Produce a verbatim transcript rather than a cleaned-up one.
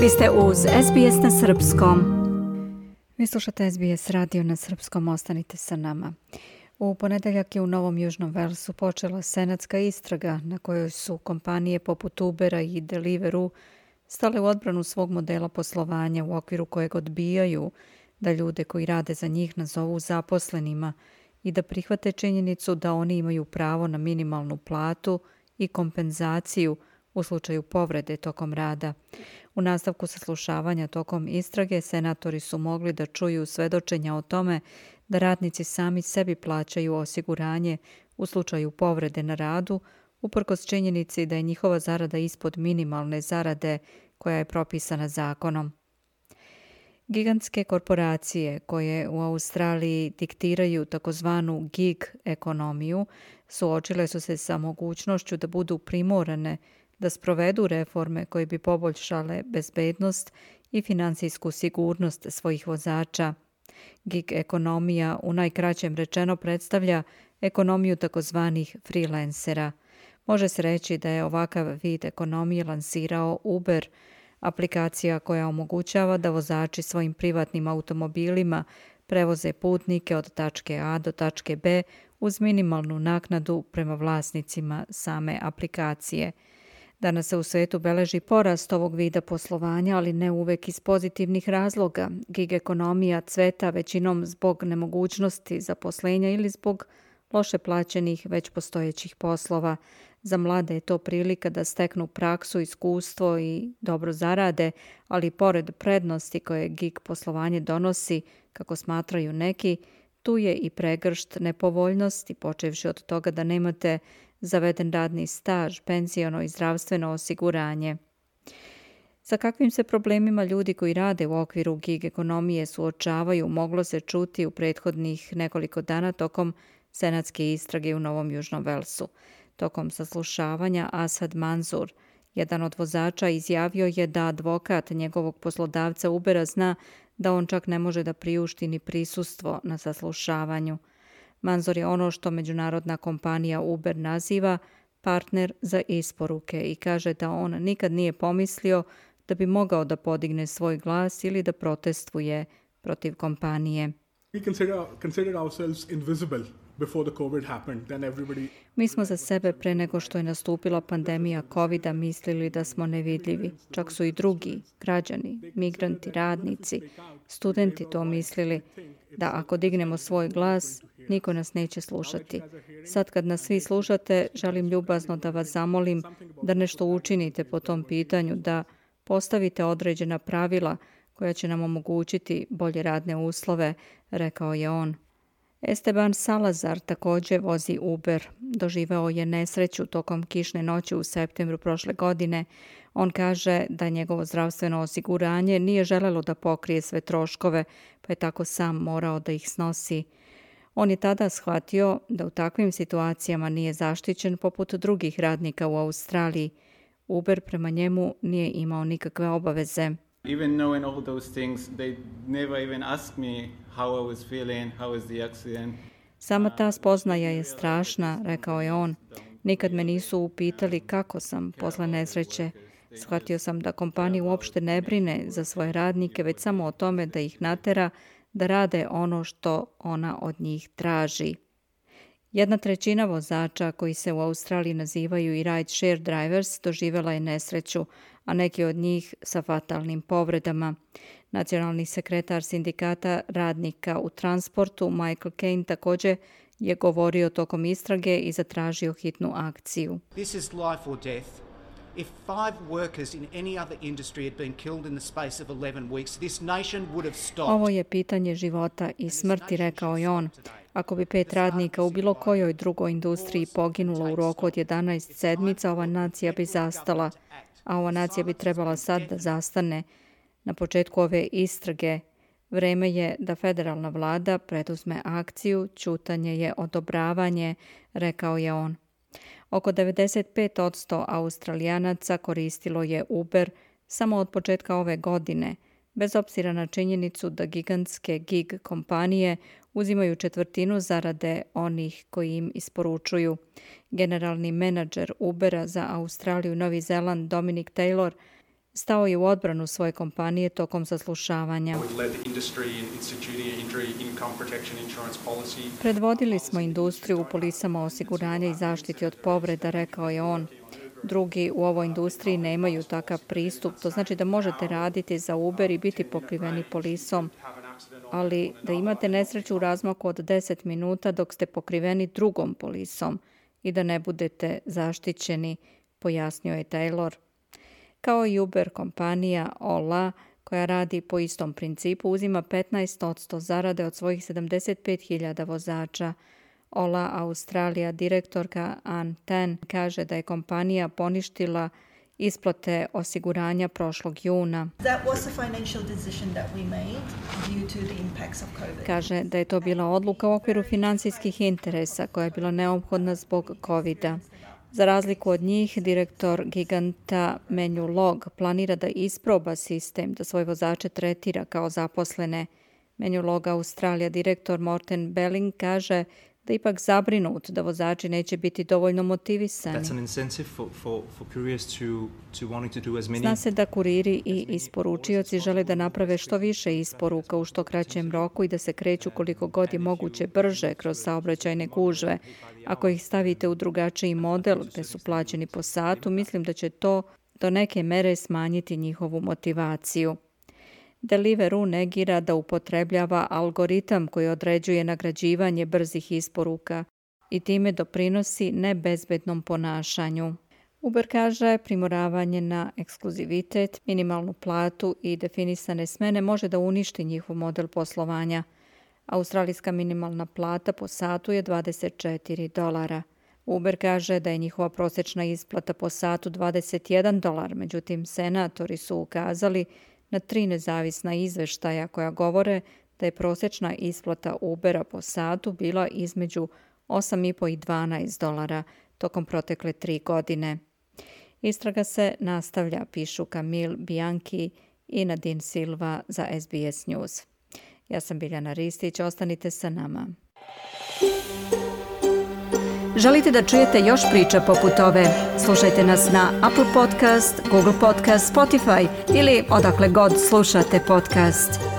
Vi ste uz S B S na srpskom. Vi slušate S B S radio na srpskom, ostanite sa nama. U ponedeljak je u Novom Južnom Velsu počela senatska istraga na kojoj su kompanije poput Ubera i Deliveroo stale u odbranu svog modela poslovanja u okviru kojeg odbijaju da ljude koji rade za njih nazovu zaposlenima i da prihvate činjenicu da oni imaju pravo na minimalnu platu i kompenzaciju u slučaju povrede tokom rada. U nastavku saslušavanja tokom istrage senatori su mogli da čuju svedočenja o tome da radnici sami sebi plaćaju osiguranje u slučaju povrede na radu, uprkos činjenici da je njihova zarada ispod minimalne zarade koja je propisana zakonom. Gigantske korporacije koje u Australiji diktiraju takozvanu gig ekonomiju suočile su se sa mogućnošću da budu primorane da sprovedu reforme koje bi poboljšale bezbednost i finansijsku sigurnost svojih vozača. Gig ekonomija u najkraćem rečeno predstavlja ekonomiju takozvanih freelancera. Može se reći da je ovakav vid ekonomije lansirao Uber, aplikacija koja omogućava da vozači svojim privatnim automobilima prevoze putnike od tačke A do tačke B uz minimalnu naknadu prema vlasnicima same aplikacije. Danas se u svetu beleži porast ovog vida poslovanja, ali ne uvek iz pozitivnih razloga. Gig ekonomija cveta većinom zbog nemogućnosti zaposlenja ili zbog loše plaćenih već postojećih poslova. Za mlade je to prilika da steknu praksu, iskustvo i dobro zarade, ali pored prednosti koje gig poslovanje donosi, kako smatraju neki, tu je i pregršt nepovoljnosti, počevši od toga da nemate zaveden radni staž, penziono i zdravstveno osiguranje. Sa kakvim se problemima ljudi koji rade u okviru gig ekonomije suočavaju moglo se čuti u prethodnih nekoliko dana tokom senatske istrage u Novom Južnom Velsu. Tokom saslušavanja Asad Manzur, jedan od vozača, izjavio je da advokat njegovog poslodavca Ubera zna da on čak ne može da priušti ni prisustvo na saslušavanju. Manzor je ono što međunarodna kompanija Uber naziva partner za isporuke i kaže da on nikad nije pomislio da bi mogao da podigne svoj glas ili da protestuje protiv kompanije. We consider, consider ourselves invisible before the COVID happened. Then everybody... Mi smo za sebe pre nego što je nastupila pandemija kovida mislili da smo nevidljivi. Čak su i drugi, građani, migranti, radnici, studenti to mislili da ako dignemo svoj glas, niko nas neće slušati. Sad kad nas svi slušate, želim ljubazno da vas zamolim da nešto učinite po tom pitanju, da postavite određena pravila koja će nam omogućiti bolje radne uslove, rekao je on. Esteban Salazar također vozi Uber. Doživeo je nesreću tokom kišne noći u septembru prošle godine. On kaže da njegovo zdravstveno osiguranje nije želelo da pokrije sve troškove, pa je tako sam morao da ih snosi. On je tada shvatio da u takvim situacijama nije zaštićen poput drugih radnika u Australiji. Uber prema njemu nije imao nikakve obaveze. Even knowing all those things, they never even asked me how I was feeling, how was the accident. Sama ta spoznaja je strašna, rekao je on. Nikad me nisu upitali kako sam posle nesreće. Shvatio sam da kompanija uopšte ne brine za svoje radnike, već samo o tome da ih natera da rade ono što ona od njih traži. Jedna trećina vozača koji se u Australiji nazivaju i ride share drivers doživjela je nesreću, a neki od njih sa fatalnim povredama. Nacionalni sekretar sindikata radnika u transportu Michael Caine također je govorio tokom istrage i zatražio hitnu akciju. This is life or death. If five workers in any other industry had been killed in the space of eleven weeks, this nation would have stopped. Ovo je pitanje života i smrti, rekao je on. Ako bi pet radnika u bilo kojoj drugoj industriji poginulo u roku od jedanaest sedmica, ova nacija bi zastala, a ova nacija bi trebala sad da zastane. Na početku ove istrage vreme je da federalna vlada preduzme akciju, ćutanje je odobravanje, rekao je on. Oko devedeset pet posto Australijanaca koristilo je Uber samo od početka ove godine, bez obzira na činjenicu da gigantske gig kompanije uzimaju četvrtinu zarade onih koji im isporučuju. Generalni menadžer Ubera za Australiju i Novi Zeland Dominic Taylor stao je u odbranu svoje kompanije tokom saslušavanja. Predvodili smo industriju u polisama osiguranja i zaštiti od povreda, rekao je on. Drugi u ovoj industriji nemaju takav pristup. To znači da možete raditi za Uber i biti pokriveni polisom, ali da imate nesreću u razmaku od deset minuta dok ste pokriveni drugom polisom i da ne budete zaštićeni, pojasnio je Taylor. Kao i Uber kompanija Ola, koja radi po istom principu, uzima petnaest posto zarade od svojih sedamdeset pet hiljada vozača. Ola Australija direktorka Ann Tan kaže da je kompanija poništila isplate osiguranja prošlog juna. Kaže da je to bila odluka u okviru finansijskih interesa koja je bila neophodna zbog kovida. Za razliku od njih, direktor giganta Menulog planira da isproba sistem, da svoje vozače tretira kao zaposlene. Menulog Australija direktor Morten Belling kaže da je ipak zabrinut da vozači neće biti dovoljno motivisani. Zna se da kuriri i isporučioci žele da naprave što više isporuka u što kraćem roku i da se kreću koliko god je moguće brže kroz saobraćajne gužve. Ako ih stavite u drugačiji model gde su plaćeni po satu, mislim da će to do neke mere smanjiti njihovu motivaciju. Deliveroo negira da upotrebljava algoritam koji određuje nagrađivanje brzih isporuka i time doprinosi nebezbednom ponašanju. Uber kaže primoravanje na ekskluzivitet, minimalnu platu i definisane smene može da uništi njihov model poslovanja. Australijska minimalna plata po satu je dvadeset četiri dolara. Uber kaže da je njihova prosječna isplata po satu dvadeset jedan dolar, međutim senatori su ukazali na tri nezavisna izveštaja koja govore da je prosječna isplata Ubera po satu bila između osam i po i dvanaest dolara tokom protekle tri godine. Istraga se nastavlja, pišu Camille Bianchi i Nadine Silva za S B S News. Ja sam Biljana Ristić, ostanite sa nama. Želite da čujete još priča poput ove? Slušajte nas na Apple Podcast, Google Podcast, Spotify ili odakle god slušate podcast.